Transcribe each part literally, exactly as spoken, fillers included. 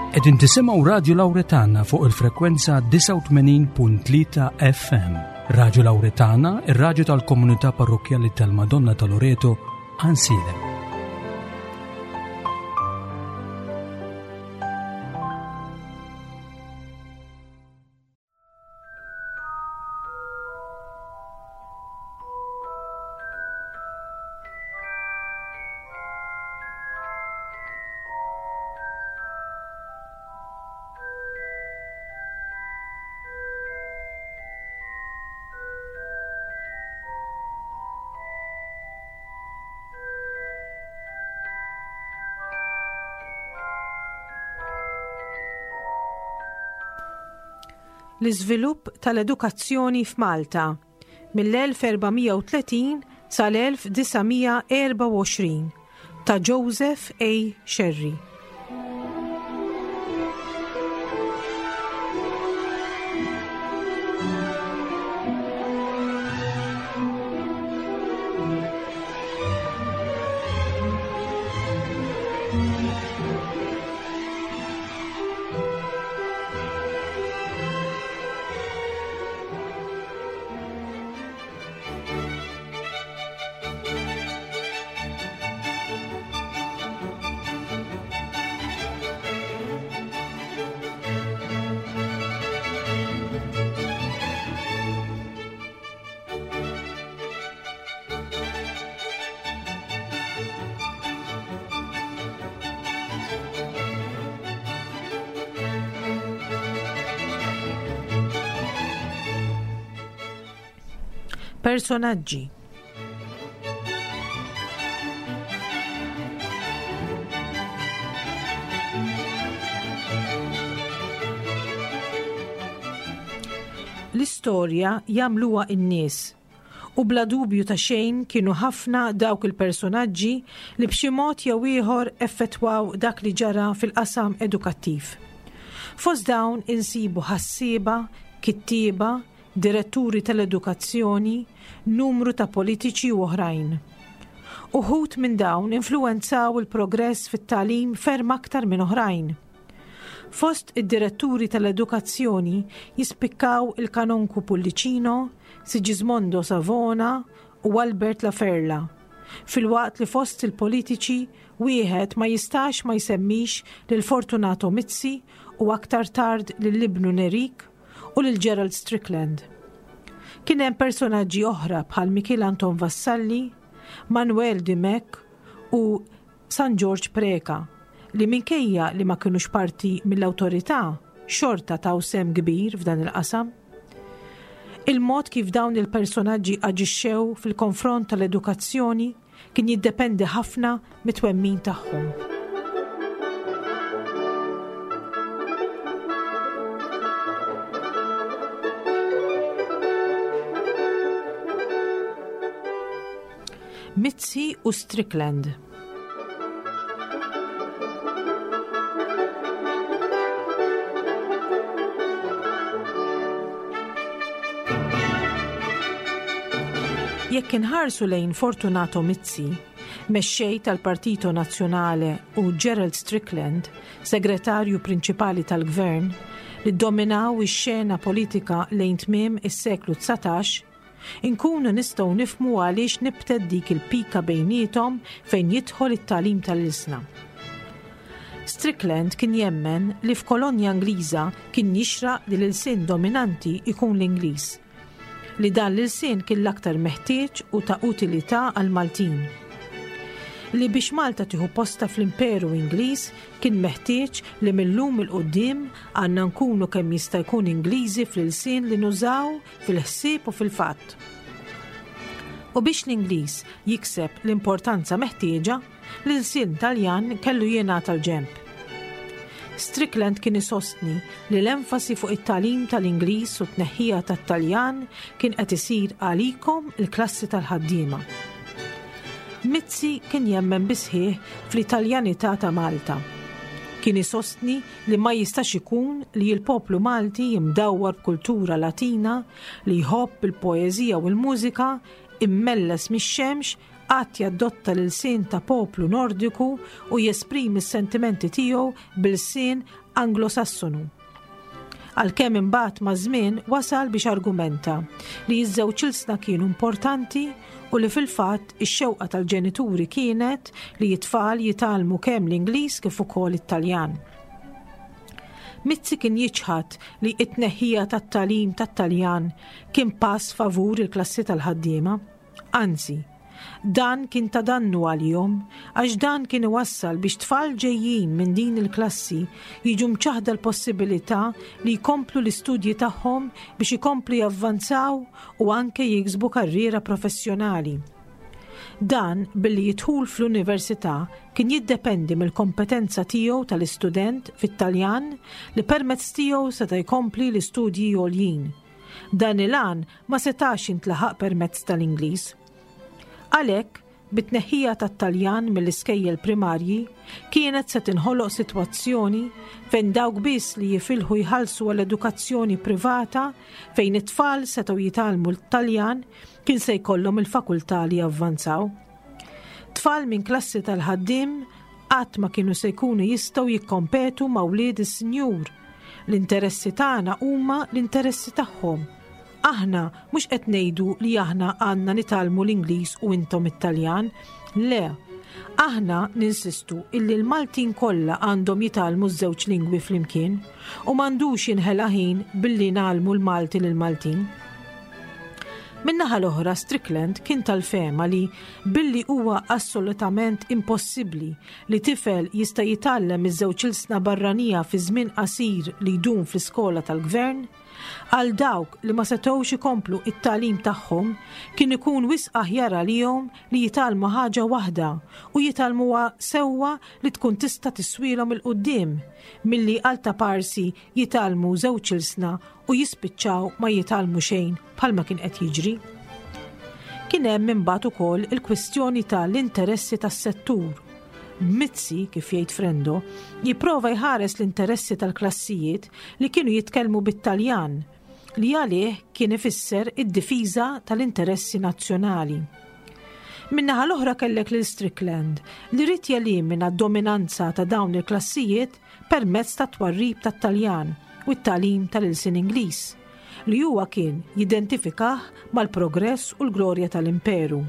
Qegħdin tisimgħu Radio Lauretana fuq il-frekwenza disgħa u tmenin punt tlieta F M. Radio Lauretana, ir-radju tal-Komunità Parrokkjali tal-Madonna ta' Loreto, Għajnsielem. L-iżvilupp tal-edukazzjoni f'Malta mill-elf erba' mija u tletin sal-elf disa' mija erbgħa u għoxrin ta' Joseph A. Scerri. Personaġġi. L-istorja jagħmluha n-nies u bla dubju ta' xejn kienu ħafna dawk il-personaġġi li b'xi mod jew ieħor effettwaw dak li ġara fil-qasam edukattiv. Fost dawn insibu ħassieba, kittieba, diretturi tal-edukazzjoni, numru ta' politiċi u oħrajn. Uħud minn dawn influenzaw il-progress fit-tagħlim ferm aktar minn oħrajn. Fost id-diretturi tal-edukazzjoni jispikkaw il-Kanonku Pullicino, Sigismondo Savona u Albert Laferla. Filwaqt li fost il-politiċi wieħed ma jistax ma jsemmix lil Fortunato Mizzi u aktar tard lil ibnu Nerik u lil Gerald Strickland. Kien hemm personaġġi oħra bħal Mikiel Anton Vassalli, Manuel Dimech u San George Preca li, minkejja li ma kinux parti mill-awtorità, xorta taw sehem kbir f'dan il-qasam. Il-mod kif dawn il-personaġġi aġixxew fil-konfront tal-edukazzjoni kien jiddependi ħafna mit-twemmin tagħhom. Mizzi u Strickland. Jekk inħarsu lejn Fortunato Mizzi, mexxej tal-Partito Nazzjonale, u Gerald Strickland, segretarju prinċipali tal-gvern, li dominaw ix-xena politika lejn tmiem is-seklu dsatax, inkunu nistgħu nifhmu għaliex nibtet dik il-pika bejniethom fejn jidħol it-tagħlim tal-ilsna. Strickland kien jemmen li f'kolonja Ingliża kien jixraq li l-ilsien dominanti ikun l-Ingliż, li dan l-ilsien kien l-aktar meħtieġ u ta' utilità għal-Maltin. Li biex Malta tieħu posta fl-Imperu Ingliż kien meħtieġ li mill-lum 'il quddiem għandna nkunu kemm jista' jkun Ingliżi fl-ilsien li nużaw, fil-ħsieb u fil-fatt. U biex l-Ingliż jikseb l-importanza meħtieġa, l-ilsien Taljan kellu jingħata l-ġenb. Strickland kien isostni li l-enfasi fuq it-tagħlim tal-Ingliż u t-tneħħija tat-Taljan kien qed isir għalikom il-klassi tal-ħaddiema. Mizzi kien jemmen bis-sħiħ fl-Italjanità ta' Malta. Kien isostni li ma jistax ikun li l-poplu Malti, imdawwar b'kultura Latina, li jħobb il-poeżija u l-mużika, immelles mix-xemx, qatt jaddotta l-ilsien ta' poplu Nordiku u jesprimi s-sentimenti tiegħu bil-lsien Anglosassonu. Għalkemm imbagħad maż-żmien wasal biex argumenta li ż-żewġ ilsna kienu importanti u li fil-fatt ix-xewqa tal-ġenituri kienet li t-tfal jitgħallmu kemm l-Ingliż kif ukoll it-Taljan. Mizzi kien jiċħad li it-tneħħija tat-tagħlim tat-Taljan kien pass favur il-klassi tal-ħaddiema. Anzi, dan kien ta' dannu għalihom għax dan kien iwassal biex tfal ġejjin minn din il-klassi jiġu mċaħda l-possibilità li jkomplu l-istudji tagħhom biex ikomplu javvanzaw u anke jiksbu karriera professjonali. Dan billi d-dħul fl-università kien jiddependi mill-kompetenza tiegħu tal-istudent fit-Taljan li permezz tiegħu seta' jkompli l-istudji għoljin. Dan il-għan ma setax jintlaħaq permezz tal-Ingliż. Għalhekk, bit-tneħħija tat-Taljan mill-iskejjel primarji, kienet se tinħoloq sitwazzjoni fejn dawk biss li jifilħu jħallsu għall-edukazzjoni privata fejn it-tfal setgħu jitgħallmu l-Taljan kien se jkollhom il-fakultà li javvanzaw. Tfal minn klassi tal-ħaddiem qatt ma kienu se jkunu jistgħu jikkompetu ma' wlied is-sinjur. L-interessi tagħna huma l-interessi tagħhom. Aħna mhux qed ngħidu li aħna għandna nitgħallmu l-Ingliż u intom it-Taljan. Le, aħna ninsistu illi l-Maltin kollha għandhom jitgħallmu ż-żewġ lingwi flimkien u m'għandux jinħela ħin billi ngħallmu l-Malti lill-Maltin. Min-naħa l-oħra, Strickland kien tal-fehma li billi huwa assolutament impossibbli li tifel jista' jitgħallem iż-żewġ ilsna barranija fi żmien qasir li jdum fl-iskola tal-gvern, għal dawk li ma setgħux ikomplu it-tagħlim tagħhom kien ikun wisq aħjar għalihom li jitgħallmu ħaġa waħda u jitgħallmuha sewwa li tkun tista' tiswielhom 'il quddiem milli għal ta' parsi jitgħallmu żewġ ilsna u jispiċċaw ma jitgħallmu xejn bħalma kien qed jiġri. Kien hemm imbagħad ukoll il-kwistjoni tal-interessi tas-settur. Mizzi, kif jgħid Frendo, jipprova jħares l-interessi tal-klassijiet li kienu jitkellmu bit-Taljan, li għalih kien ifisser id-difiża tal-interessi nazzjonali. Min-naħa l-oħra kellek lil Strickland li ried jelimina d-dominanza ta' dawn il-klassijiet permezz ta' twarrib tat-Taljan u t-tagħlim tal-ilsien Ingliż, li huwa kien jidentifikah mal-progress u l-glorja tal-imperu.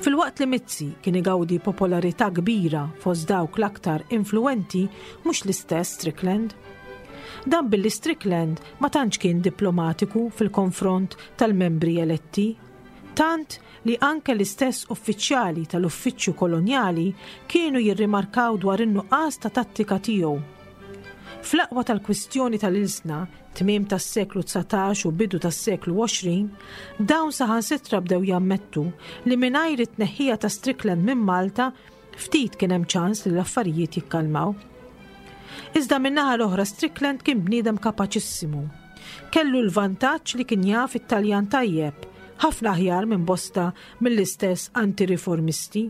Filwaqt li Mizzi kien igawdi popolarità kbira fost dawk l-aktar influenti, mhux l-istess Strickland. Dan billi Strickland ma tantx kien diplomatiku fil-konfront tal-membri eletti, tant li anke l-istess uffiċjali tal-uffiċċju kolonjali kienu jirrimarkaw dwar in-nuqqas ta' tattika tiegħu. Fl-aqwa tal-kwistjoni tal-ilsna, tmiem tas-seklu dsatax u bidu tas-seklu għoxrin, dawn saħansitra bdew jammettu li mingħajr it-tneħħija ta' Strickland minn Malta ftit kien hemm ċans li l-affarijiet jikkalmaw. Iżda min-naħa l-oħra Strickland kien bniedem kapaċissimu. Kellu l-vantaġġ li kien jaf it-Taljan tajjeb, ħafna aħjar minn bosta mill-istess antiriformisti,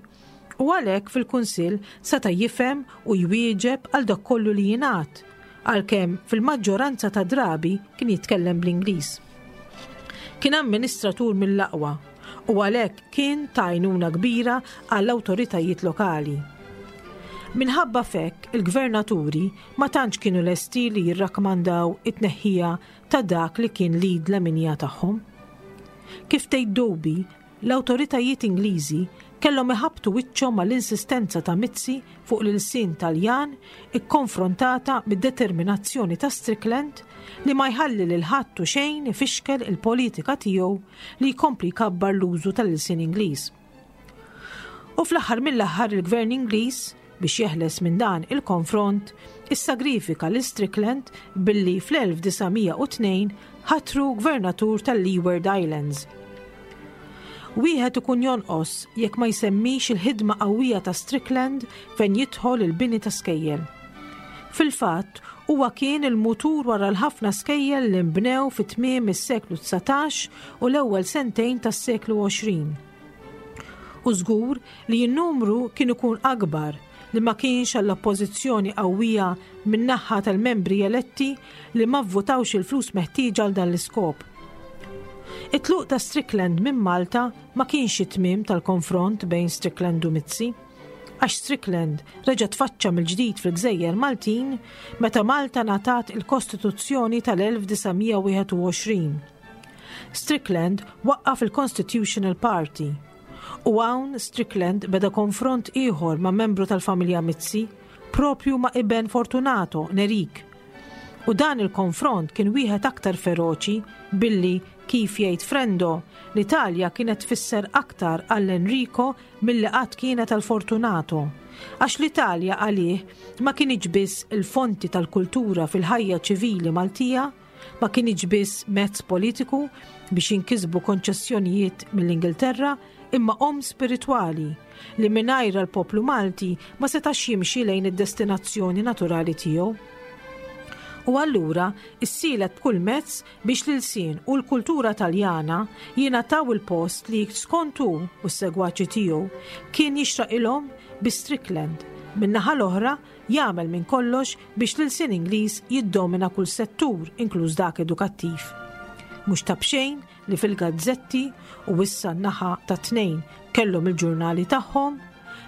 u għalhekk fil-Kunsill seta' jifhem u jwieġeb għal dak kollu li jingħad, għalkemm fil-maġġoranza ta' drabi kien jitkellem bl-Ingliż. Kien amministratur mill-aqwa u għalhekk kien ta' għajnuna kbira għall-awtoritajiet lokali. Minħabba fekk il-gvernaturi ma tantx kienu lesti li jirrakkomandaw it-tneħħija ta' dak li kien l-id leminija tagħhom. Kif tgħid Dobie, l-awtoritajiet Ingliżi kellhom iħabbtu wiċċhom mal-insistenza ta' Mizzi fuq l-ilsien Taljan ikkonfrontata bid-determinazzjoni ta' Strickland li ma jħalli lil ħadd u xejn ifixkel il-politika tiegħu li jkompli jkabbar l-użu tal-ilsien Ingliż. U fl-aħħar mill-aħħar il-Gvern Ingliż, biex jeħles minn dan il-konfront, issagrifika lil Strickland billi fl-elf disa' mija u tnejn ħatru gvernatur tal-Leeward Islands. Wieħed ikun jonqos jekk ma jsemmix il-ħidma qawwija ta' Strickland fejn jidħol il-bini ta' skejjel. Fil-fatt, huwa kien il-mutur wara l-ħafna skejjel li nbnew fi tmiem is-seklu dsatax u l-ewwel sentejn tas-seklu għoxrin. U żgur li n-numru kien ikun akbar li ma kienx għall-oppożizzjoni qawwija min-naħa tal-membri eletti li ma vvutawx il-flus meħtieġa għal dan l-iskop. It-tluq ta' Strickland minn Malta ma kienx it-tmiem tal-konfront bejn Strickland u Mizzi, għax Strickland reġa' tfaċċa mill-ġdid fil-Gżejjer Maltin meta Malta ngħatat il-Kostituzzjoni tal-elf disa' mija u wieħed u għoxrin. Strickland waqqaf il-Constitutional Party u hawn Strickland beda konfront ieħor ma' membru tal-familja Mizzi, propju ma' iben Fortunato, Nerik. U dan il-konfront kien wieħed aktar feroċi billi, kif jgħid Frendo, l-Italja kienet tfisser aktar għall Enrico milli qatt kienet għal Fortunato. Għax l-Italja għalih ma kienx biss il-fonti tal-kultura fil-ħajja ċivili Maltija, ma kienx biss mezz politiku biex jinkisbu konċessjonijiet mill-Ingilterra, imma omm spiritwali li mingħajrha l-poplu Malti ma setax jimxi lejn id-destinazzjoni naturali tiegħu. U allura issielet b'kull mezz biex l-ilsien u l-kultura Taljana jingħataw il-post li skont hu u s-segwaċi tiegħu kien jixraqilhom, bi Strickland min-naħa l-oħra jagħmel minn kollox biex l-ilsien Ingliż jiddomina kull settur, inkluż dak edukattiv. Mhux ta' b'xejn li fil-gazzetti, u issa n-naħa ta' tnejn kellhom il-ġurnali tagħhom,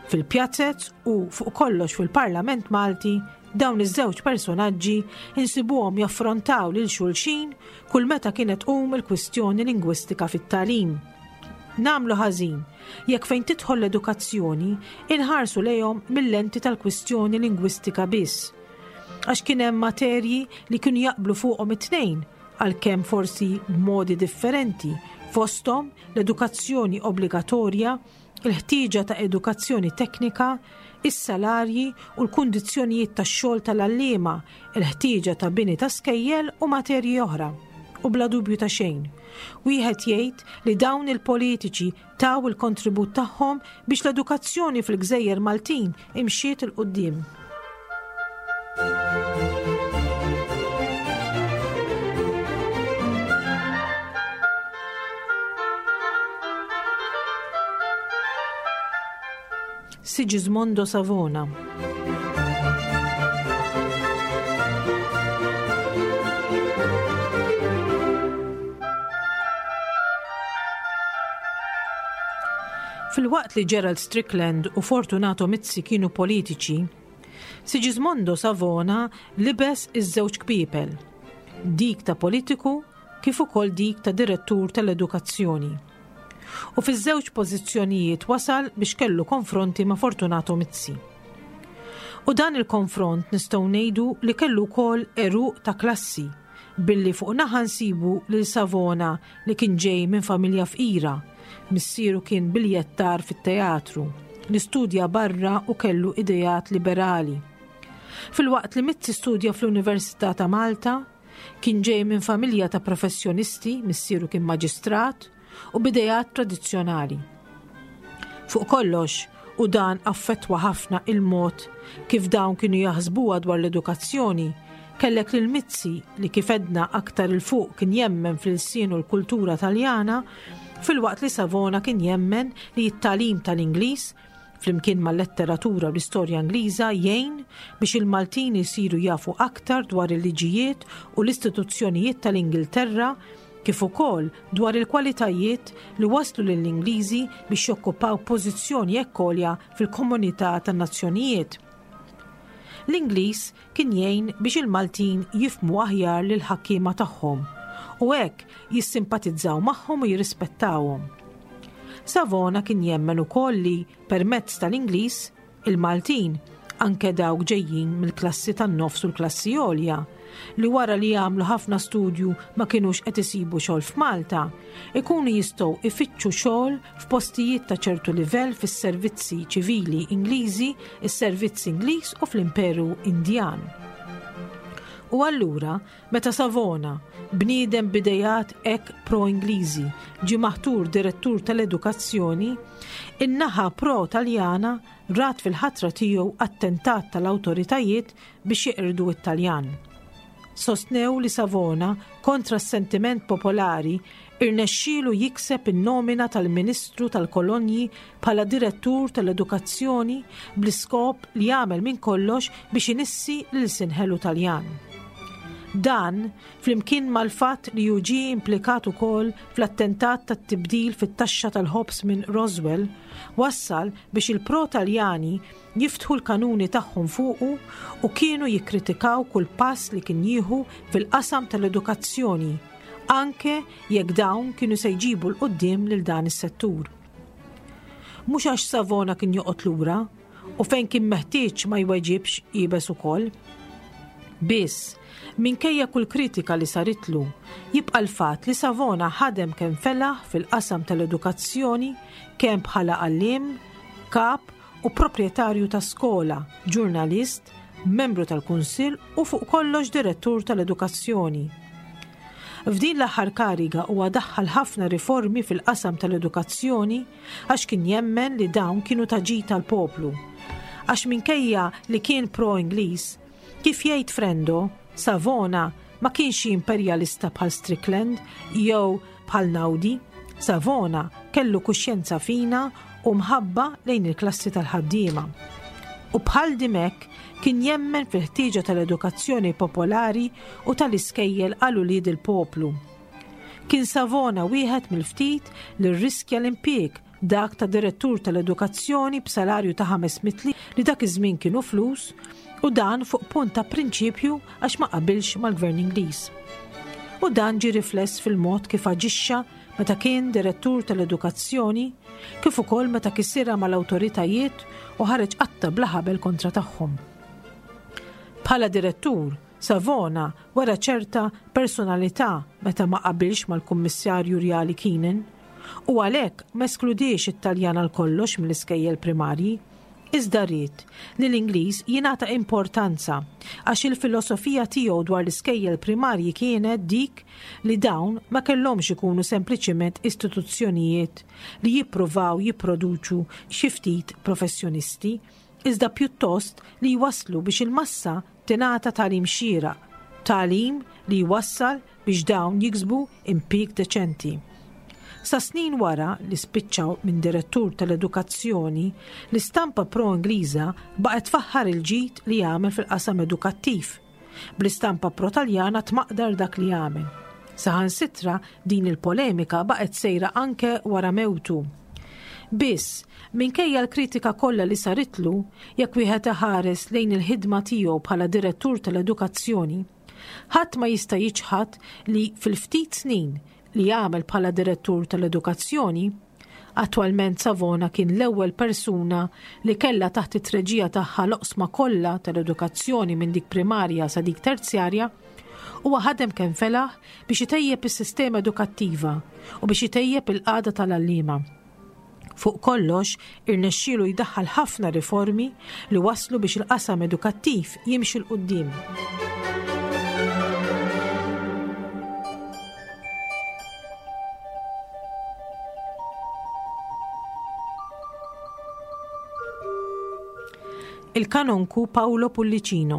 fil-pjazzez u fuq kollox fil-Parlament Malti, dawn iż-żewġ personaġġi insibuhom jaffrontaw lil xulxin kull meta kienet tqum il-kwistjoni lingwistika fit-tagħlim. Nagħmlu ħażin jekk fejn tidħol l-edukazzjoni inħarsu lejhom mill-lenti tal-kwistjoni lingwistika biss. Għax kien hemm materji li kienu jaqblu fuqhom it-tnejn, għalkemm forsi b'modi differenti, fosthom l-edukazzjoni obbligatorja, il-ħtieġa ta' edukazzjoni teknika, is-salarji u l-kundizzjonijiet tax-xogħol tal-għalliema, il-ħtieġa ta' bini ta' skejjel u materji oħra. U bla dubju ta' xejn, wieħed jgħid li dawn il-politiċi taw il-kontribut tagħhom biex l-edukazzjoni fil-Gżejjer Maltin imxiet 'il quddiem. Sigismondo Savona. Filwaqt li Gerald Strickland u Fortunato Mizzi kienu politiċi, Sigismondo Savona libes iż-żewġ kpiepel, dik ta' politiku kif ukoll dik ta' direttur tal-edukazzjoni. U fiż-żewġ pożizzjonijiet wasal biex kellu konfronti ma' Fortunato Mizzi. U dan il-konfront nistgħu ngħidu li kellu wkoll għeruq ta' klassi, billi fuq naħa nsibu lil Savona li kien ġej minn familja fqira, missieru kien biljettar fit-teatru, li studja barra u kellu idejat liberali. Filwaqt li Mizzi studja fl-Università ta' Malta, kien ġej minn familja ta' professjonisti, missieru kien maġistrat, u b'idejat tradizzjonali. Fuq kollox, u dan affettwa ħafna il-mod kif dawn kienu jaħsbuha dwar l-edukazzjoni, kellek lil Mizzi li, kif għedna aktar 'il fuq, kien jemmen fl-ilsien u l-kultura Taljana, filwaqt li Savona kien jemmen li t-tagħlim tal-Ingliż flimkien mal-letteratura u l-istorja Ingliża jgħin biex il-Maltin jisiru jafu aktar dwar il-liġijiet u l-istituzzjonijiet tal-Ingilterra, kif ukoll dwar il-kwalitajiet li waslu lill-Ingliżi biex jokkupaw pożizzjoni hekk għolja fil-komunità tan-nazzjonijiet. L-Ingliż kien jgħin biex il-Maltin jifhmu aħjar lil ħakkiema tagħhom u hekk jissimpatizzaw magħhom u jirrispettawhom. Savona kien jemmen ukoll li permezz tal-Ingliż il-Maltin, anke dawk ġejjin mill-klassi tan-nofs u l-klassi għolja, li wara li jagħmlu ħafna studju ma kinux qed isibu xogħol f'Malta, ikunu jistgħu ifittxu xogħol f'postijiet ta' ċertu livell fis-servizzi ċivili Ingliżi, is-servizz Ingliż u fl-Imperu Indjan. U allura, meta Savona, bniedem b'idejat hekk pro-Ingliżi, ġie maħtur direttur tal-edukazzjoni, in-naħa pro-Taljana rat fil-ħatra tiegħu attentat tal-awtoritajiet biex jeqirdu it-Taljan. Sostnew li Savona, kontra s-sentiment popolari, irnexxielu jikseb in-nomina tal-Ministru tal-Kolonji bħala direttur tal-edukazzjoni bl-iskop li jagħmel minn kollox biex inissi l-ilsien ħelu Taljan. Dan, flimkien mal-fatt li hu ġie implikat ukoll fl-attentat tat-tibdil fit-taxxa tal-ħobż minn Roswell, wassal biex il-pro-Taljani jiftħu l-kanuni tagħhom fuqu u kienu jikkritikaw kull pass li kien jieħu fil-qasam tal-edukazzjoni, anke jekk dawn kienu se jġibu 'l quddiem lil dan is-settur. Mhux għax Savona kien joqgħod lura u fejn kien meħtieġ ma jweġibx iebes ukoll. Biss, minkejja kull kritika li saritlu, jibqa' l-fatt li Savona ħadem kemm felaħ fil-qasam tal-edukazzjoni kemm bħala għalliem, kap u proprjetarju ta' skola, ġurnalist, membru tal-Kunsill u fuq kollox direttur tal-edukazzjoni. F'din l-aħħar kariga huwa daħħal ħafna riformi fil-qasam tal-edukazzjoni għax kien jemmen li dawn kienu ta' ġid tal-poplu. Għax minkejja li kien pro-Ingliż, kif jgħid Frendo, Savona ma kienx imperjalista bħal Strickland jew bħal Naudi. Savona kellu kuxjenza fina u mħabba lejn il-klassi tal-ħaddiema. U bħal Dimech kien jemmen fil-ħtieġa tal-edukazzjoni popolari u tal-iskejjel għal ulied il-poplu. Kien Savona wieħed mill-ftit li rriskja l-impjieg dak ta' direttur tal-edukazzjoni b'salarju ta' ħames mitt li dak iż-żmien kienu flus, u dan fuq punt ta' prinċipju għax ma qabilx mal-Gvern Ingliż. U dan ġie rifless fil-mod kif aġixxa meta kien direttur tal-edukazzjoni, kif ukoll meta kisirha mal-awtoritajiet u ħareġ qatta bla ħabel kontra tagħhom. Bħala direttur, Savona wera ċerta personalità meta ma qabilx mal-Kummissarju Rjali Keenan u għalhekk ma eskludiex it-Taljan għal kollox mill-iskejjel primarji, iżda ried li l-Ingliż jingħata importanza għax il-filosofija tiegħu dwar l-iskejjel primarji kienet dik li dawn ma kellhomx ikunu sempliċiment istituzzjonijiet li jippruvaw jipproduċu xi ftit professjonisti, iżda pjuttost li jwasslu biex il-massa tingħata tagħlim xieraq, tagħlim li jwassal biex dawn jiksbu impjieg deċenti. Sa snin wara li spiċċaw minn direttur tal-edukazzjoni, l-istampa pro-Ingliża baqgħet tfaħħar il-ġid li għamel fil-qasam edukattiv, bl-istampa pro-Taljana tmaqdar dak li għamel. Saħansitra din il-polemika baqgħet sejra anke wara mewtu. Biss, minkejja l-kritika kollha li saritlu, jekk wieħed iħares lejn il-ħidma tiegħu bħala direttur tal-edukazzjoni, ħadd ma jista' jiċħad li fil-ftit snin li għamel bħala direttur tal-edukazzjoni, attwalment Savona kien l-ewwel persuna li kellha taħt it-treġija tagħha l-oqsma kollha tal-edukazzjoni minn dik primarja sa dik terzjarja, huwa ħadem kemm felaħ biex itejjeb is-sistema edukattiva u biex itejjeb il-qagħda tal-għalliema. Fuq kollox, irnexxielu jdaħħal ħafna riformi li waslu biex il-qasam edukattiv jimxi 'l quddiem. Il-kanonku Paolo Pullicino.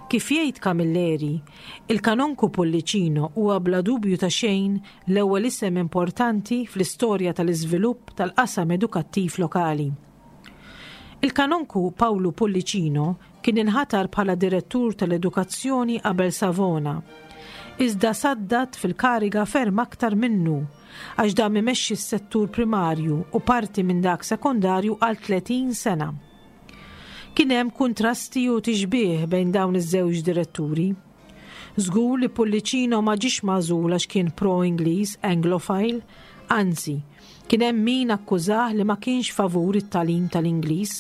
Kif jgħid Camilleri, il-kanonku Pullicino huwa bla dubju ta' xejn l-ewwel isem importanti fl-istorja tal-iżvilupp tal-qasam edukattiv lokali. Il-kanonku Paolo Pullicino kien inħatar bħala direttur tal-edukazzjoni qabel Savona, iżda saddat fil-kariga ferm aktar minnu għax dam imexxi s-settur primarju u parti minn dak sekondarju għal tletin sena. Kien hemm kuntrasti u tixbih bejn dawn iż-żewġ diretturi. Żgur li Pullicino ma ġiex magħżul għax kien pro-Ingliż, Anglophile, anzi, kien hemm min akkużah li ma kienx favur it-tagħlim tal-Ingliż.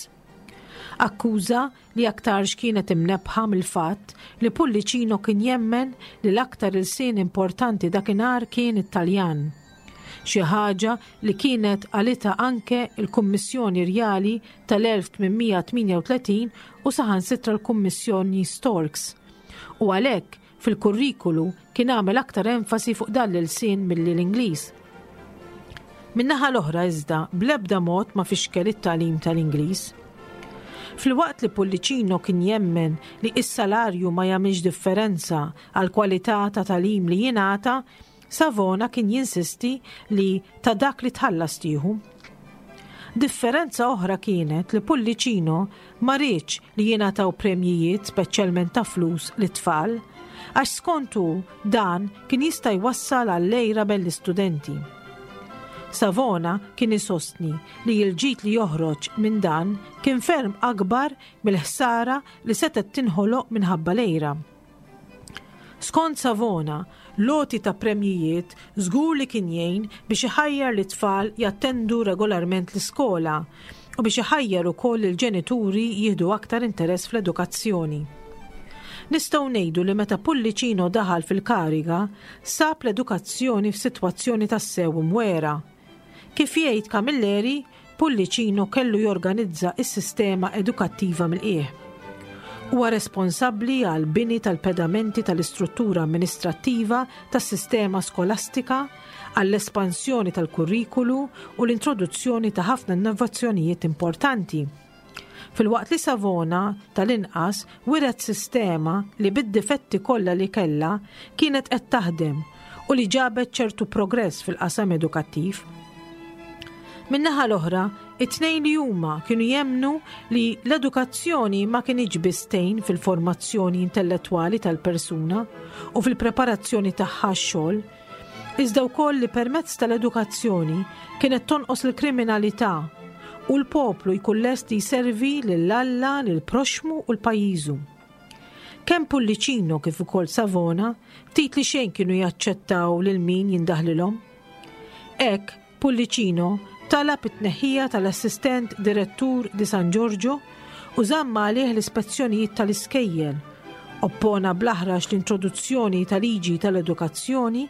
Akkuża li aktarx kienet imnebħa mill-fatt li Pullicino kien jemmen li l-aktar ilsien importanti dakinhar kien it-Taljan. Xi ħaġa li kienet qalita anke il-Kummissjoni Rjali tal-elf tmien tmienja u tletin u saħansitra l-Kummissjoni Storks. U għalhekk fil-kurrikulu kien għamel aktar enfasi fuq dan l-ilsien milli l-Ingliż. Min-naħa l-oħra iżda bl-ebda mod ma fixkel it-tagħlim tal-Ingliż. Filwaqt li Pullicino kien jemmen li s-salarju ma jagħmilx differenza għal kwalità ta' tagħlim li jingħata, Savona kien jinsisti li ta' dak li tħallas tieħu. Differenza oħra kienet li Pullicino ma riedx li jingħataw premjijiet, speċjalment ta' flus, lit-tfal, għax skontu dan kien jista' jwassal għall-għira bejn l-istudenti. Savona kien isostni li l-ġid li joħroġ minn dan kien ferm akbar mill-ħsara li setgħet tinħoloq minħabba l-għira. Skont Savona, l-għoti ta' premjijiet żgur li kien jgħin biex iħajjar lit-tfal jattendu regolarment l-iskola u biex iħajjar ukoll il-ġenituri jieħdu aktar interess fl-edukazzjoni. Nistgħu ngħidu li meta Pullicino daħal fil-kariga, sab l-edukazzjoni f'sitwazzjoni tassew mwera. Kif jgħid Camilleri, Pullicino kellu jorganizza is-sistema edukattiva mill-qiegħ. Huwa responsabbli għal bini tal-pedamenti tal-istruttura amministrattiva tas-sistema skolastika, għall-espansjoni tal-kurrikulu u l-introduzzjoni ta' ħafna innovazzjonijiet importanti. Filwaqt li Savona tal-inqas wiret sistema li bid-difetti kollha li kellha kienet qed taħdem u li ġabet ċertu progress fil-qasam edukattiv. Min-naħa l-oħra, it-tnejn li huma kienu jemmnu li l-edukazzjoni ma kinitx biss tgħin fil-formazzjoni intellettwali tal-persuna u fil-preparazzjoni tagħha x-xogħol, iżda wkoll li permezz tal-edukazzjoni kienet tonqos l-kriminalità u l-poplu jkun lest jservi lil Alla, lil proxmu u l-pajjiżu. Kemm Pullicino kif ukoll Savona ftit li xejn kienu jaċċettaw lil min jindaħlilhom. Hekk Pullicino talab it-tneħħija tal-assistent direttur di San Giorgio u żamm għalih l-ispezzjonijiet tal-iskejjel. Oppona bl-aħrax l-introduzzjoni tal-liġi tal-edukazzjoni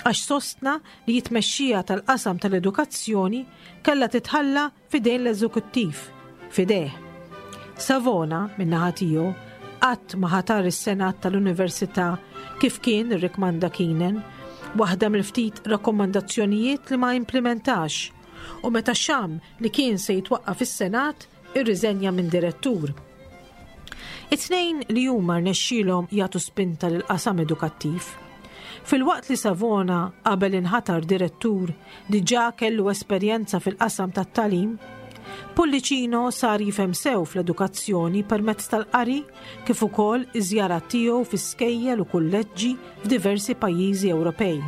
għax sostna li t-tmexxija tal-qasam tal-edukazzjoni kellha titħalla fidejn l-eżekuttiv, fideh. Savona, min-naħa tiegħu, qatt ma ħatar is-Senat tal-Università kif kien irrikmanda Keenan, waħda mill-ftit rakkomandazzjonijiet li ma implementax, u meta xamm li kien se jitwaqqaf is-Senat, irriżenja minn direttur. It-tnejn li huma rnexxielhom jagħtu spinta lil qasam edukattiv. Filwaqt li Savona qabel inħatar direttur diġà kellu esperjenza fil-qasam tat-tagħlim, Pullicino sar jifhem sew fl-edukazzjoni permezz tal-qari kif ukoll iż-żjarat tiegħu fi skejjel u kulleġġi f'diversi pajjiżi Ewropej.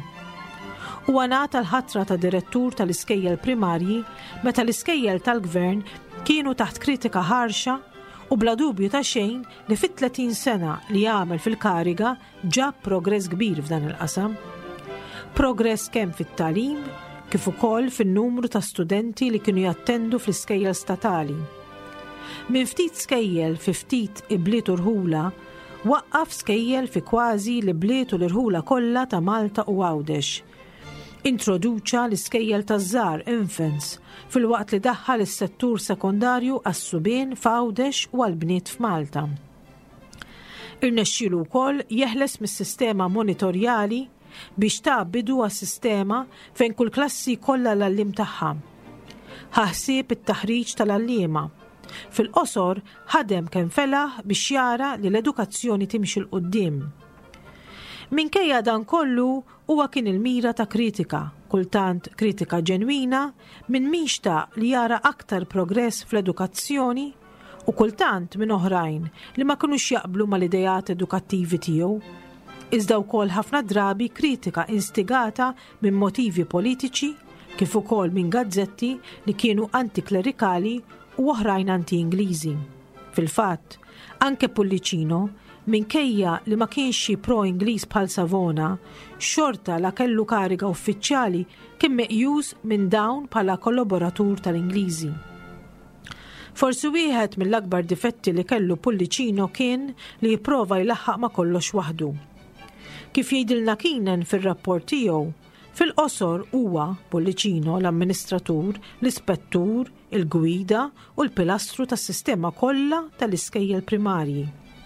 Huwa ngħata l-ħatra ta' direttur tal-iskejjel primarji meta l-iskejjel tal-gvern kienu taħt kritika ħarxa u bla dubju ta' xejn li fit-tletin sena li għamel fil-kariga ġab progress kbir f'dan il-qasam. Progress kemm fit-tagħlim kif ukoll fin-numru ta' studenti li kienu jattendu fl-iskejjel statali. Minn ftit skejjel fi ftit ibliet u rħula, waqqaf skejjel fi kważi l-ibliet u l-irħula kollha ta' Malta u Għawdex. Introduċa l-iskejjel taż-żgħar, infants, filwaqt li daħħal is-settur sekondarju għas-subien f'Għawdex u għall-bniet f'Malta. Irnexxielu wkoll jeħles mis-sistema monitorjali biex ta bidu għas-sistema fejn kull klassi kollha l-għalliem tagħha. Ħa ħsieb it-taħriġ tal-għalliema. Fil-qosor ħadem kemm felaħ biex jara li l-edukazzjoni timxi 'l quddiem. Minkejja dan kollu huwa kien il-mira ta' kritika, kultant kritika ġenwina, minn min xtaq li jara aktar progress fl-edukazzjoni u kultant minn oħrajn li ma kinux jaqblu mal-idejat edukattivi tiegħu. Iżda wkoll ħafna drabi kritika instigata minn motivi politiċi kif ukoll minn gazzetti li kienu antiklerikali u oħrajn anti-Ingliżi. Fil-fatt, anke Pullicino, minkejja li ma kienx xi pro-Ingliż bħal Savona, xorta la kellu kariga uffiċjali kien meqjus minn dawn bħala kollaboratur tal-Ingliżi. Forsi wieħed mill-akbar difetti li kellu Pullicino kien li jipprova jlaħħaq ma' kollox waħdu. Kif jgħidilna Keenan fir-rapport tiegħu, fil-qosor huwa Pullicino l-amministratur, l-ispettur, il-gwida u l-pilastru tas-sistema kollha tal-iskejjel primarji.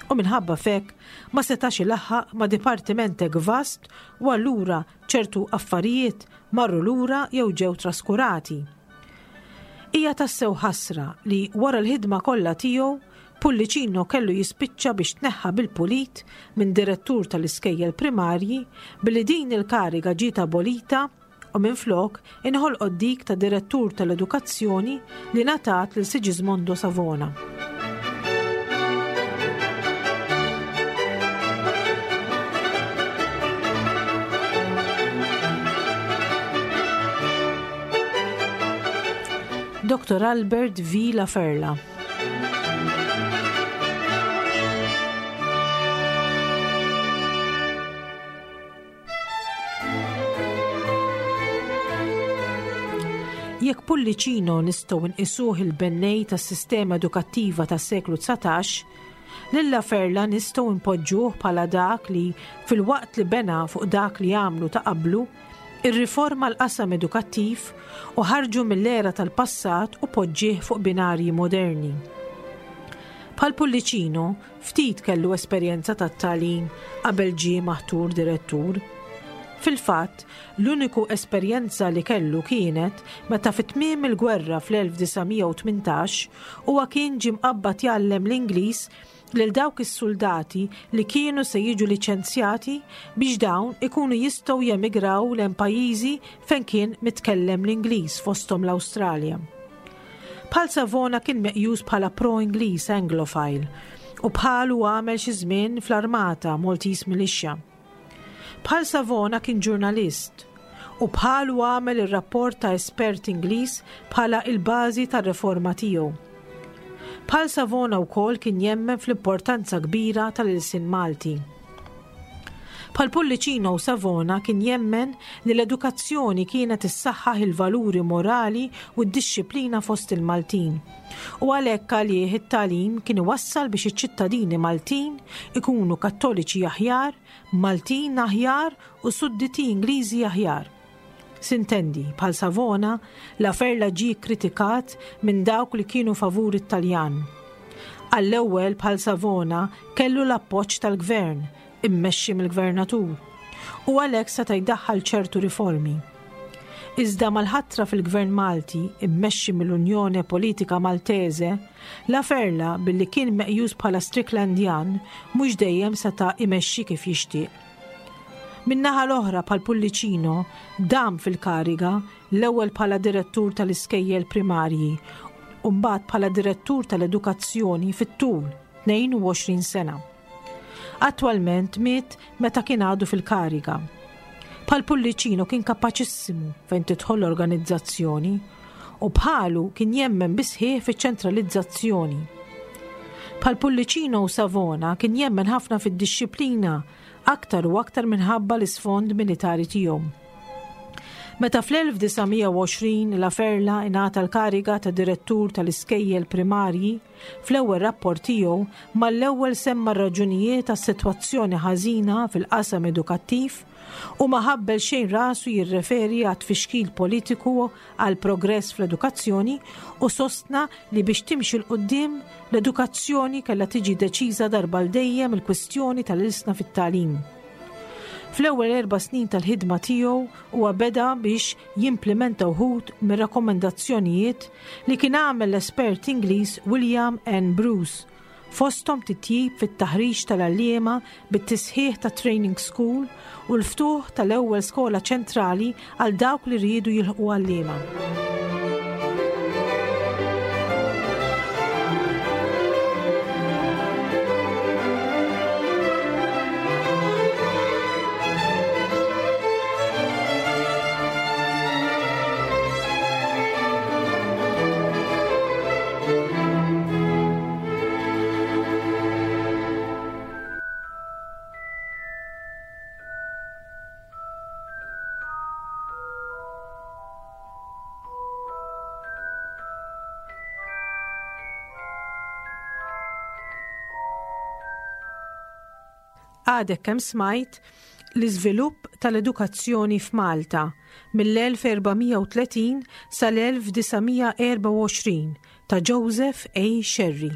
U minħabba f'hekk ma setax ilaħħaq ma' dipartiment hekk vast u allura ċertu affarijiet marru lura jew ġew traskurati. Hija tassew ħasra li wara l-ħidma kollha tiegħu Pullicino kellu jispiċċa biex tneħħa bil-pulit minn direttur tal-iskejjel primarji billi din il-kariga ġiet abolita u minflok inħolqot dik ta' direttur tal-edukazzjoni li ngħatat lil Sigismondo Savona. Dottor Albert V. Laferla. Jekk Pullicino nistgħu nqisuh il-bennej tas-sistema edukattiva tas-seklu dsatax, lil Laferla nistgħu npoġġuh bħala dak li filwaqt li bena fuq dak li għamlu ta' qablu, irriforma l-qasam edukattiv u ħarġu mill-era tal-passat u poġġih fuq binarji moderni. Bħal Pullicino, ftit kellu esperjenza tat-tagħlim qabel ġie maħtur direttur. Fil-fatt, l-uniku esperjenza li kellu kienet meta fi tmiem il-gwerra fl-elf disa' mija u tmintax huwa kien ġie mqabbad jgħallem l-Ingliż lil dawk is-soldati li kienu se jiġu liċenzjati biex dawn ikunu jistgħu jemigraw lejn pajjiżi fejn kien mitkellem l-Ingliż fosthom l-Awstralja. Bħal Savona kien meqjus bħala pro-Ingliż Anglophile u bħalu għamel xi żmien fl-armata Maltese Militia. Bħal Savona kien ġurnalist u bħalu għamel ir-rapport ta' espert Ingliż bħala il-bażi tar-reforma tiegħu. Bħal Savona wkoll kien jemmen fl-importanza kbira tal-ilsien Malti. Bħal Pullicino u Savona kien jemmen li l-edukazzjoni kienet issaħħaħ il-valuri morali u d-dixxiplina fost il-Maltin. U għalhekk għalih it-tagħlim kien iwassal biex iċ-ċittadini Maltin ikunu kattoliċi aħjar, Maltin aħjar u sudditi Ingliżi aħjar. Sintendi, bħal Savona, Laferla ġie kritikat minn dawk li kienu favur it-Taljan. Għall-ewwel bħal Savona kellu l-appoġġ tal-gvern, immexxi mill-gvernatur, u għalhekk seta' jdaħħal ċertu riformi. Iżda mal-ħatra fil-Gvern Malti, immexxi mill-Unjoni Politika Maltese, Laferla billi kien meqjus bħala Stricklandjan mhux dejjem seta' imexxi kif jixtieq. Min-naħa l-oħra bħal Pullicino dam fil-kariga l-ewwel bħala direttur tal-iskejjel primarji u mbagħad bħala direttur tal-edukazzjoni fit-tul tnejn u għoxrin sena. Attwalment miet meta kien għadu fil-kariga. Bħal Pullicino kien kapaċissimu fejn tidħol l-organizzazzjoni u bħalu kien jemmen bisħieħ fiċ-ċentralizzazzjoni. Bħal Pullicino u Savona kien jemmen ħafna fid-dixxiplina aktar u aktar minħabba l-isfond militari tiegħu. Meta fl-elf disa' mija u għoxrin Laferla ingħata l-kariga ta' direttur tal-iskejjel primarji, fl-ewwel rapport tiegħu mal-ewwel semma r-raġunijiet tas-sitwazzjoni ħażina fil-qasam edukattiv u ma ħabbel xejn rasu jirreferi għat tfixkil politiku għal progress fl-edukazzjoni u sostna li biex timxi 'l quddiem l-edukazzjoni kellha tiġi deċiża darba l dejjem il-kwistjoni tal-ilsna fit-tagħlim. Fl-ewwel erba' snin tal-ħidma tiegħu huwa beda biex jimplementa wħud mir-rakkomandazzjonijiet li kien għamel l-espert Ingliż William N. Bruce, fosthom titjib fit-taħriġ tal-għalliema bit-tisħiħ ta' training school u l-ftuħ tal-ewwel skola ċentrali għal dawk li riedu jilħqu għalliema. Għadek kemm smajt l-iżvilupp tal-edukazzjoni f'Malta mill-elf erba' mija u tletin sal-elf disa' mija erba' u għoxrin ta' Joseph A. Scerri.